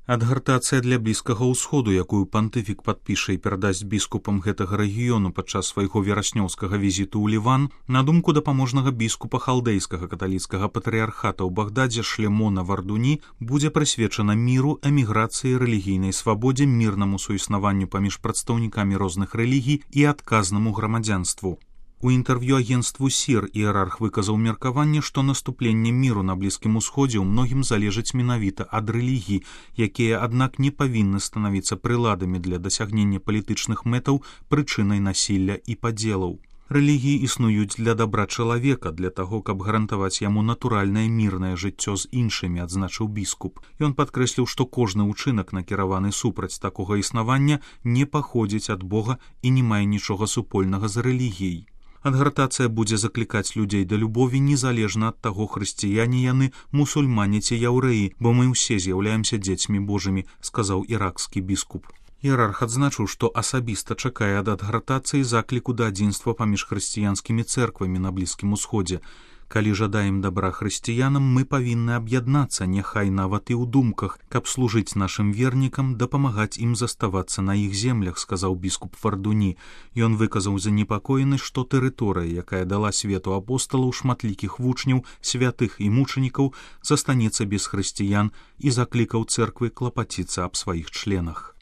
Адгартацыя для Блізкага ўсходу, якую пантыфік падпіша і перадасць біскупам гэтага рэгіёну падчас свайго вераснёўскага візіту ў Ліван, на думку дапаможнага біскупа халдэйскага каталіцкага патрыярхата ў Багдадзе Шлемона Вардуні, будзе прысвечана міру, эміграцыі, рэлігійнай свабодзе, мірнаму суіснаванню паміж прадстаўнікамі розных рэлігій і адказнаму грамадзянству. У інтэрв'ю агенству СІР іерарх выказаў меркаванне, што наступленне міру на Блізкім усходзе ў многім залежыць менавіта ад рэлігій, якія, аднак, не павінны станавіцца прыладамі для дасягнення палітычных мэтаў, прычынай насілля і падзелаў. Рэлігіі існуюць для дабра чалавека, для таго, каб гарантаваць яму натуральнае мірнае жыццё з іншымі, адзначыў біскуп. Ён падкрэсліў, што кожны ўчынак, накіраваны супраць такога існавання, не паходзіць ад Бога і не мае нічога супольнага з рэлігіяй. Адгартацыя будзе заклікаць людзей да любові незалежна ад таго, хрысціяне яны, мусульмане ці яўрэі, бо мы ўсе з'яўляемся дзецьмі Божымі, сказаў іракскі біскуп. Іерарх адзначыў, што асабіста чакае ад адгартацыі закліку да адзінства паміж хрысціянскімі цэрквамі на Блізкім усходзе. Калі жадаем дабра хрысціянам, мы павінны аб'яднацца, няхай нават і ў думках, каб служыць нашым вернікам, дапамагаць ім заставацца на іх землях, сказаў біскуп Вардуні. Ён выказаў занепакоенасць, што тэрыторыя, якая дала свету апосталаў, шматлікіх вучняў, святых і мучанікаў, застанецца без хрысціян і заклікаў цэрквы клапаціцца аб сваіх членах.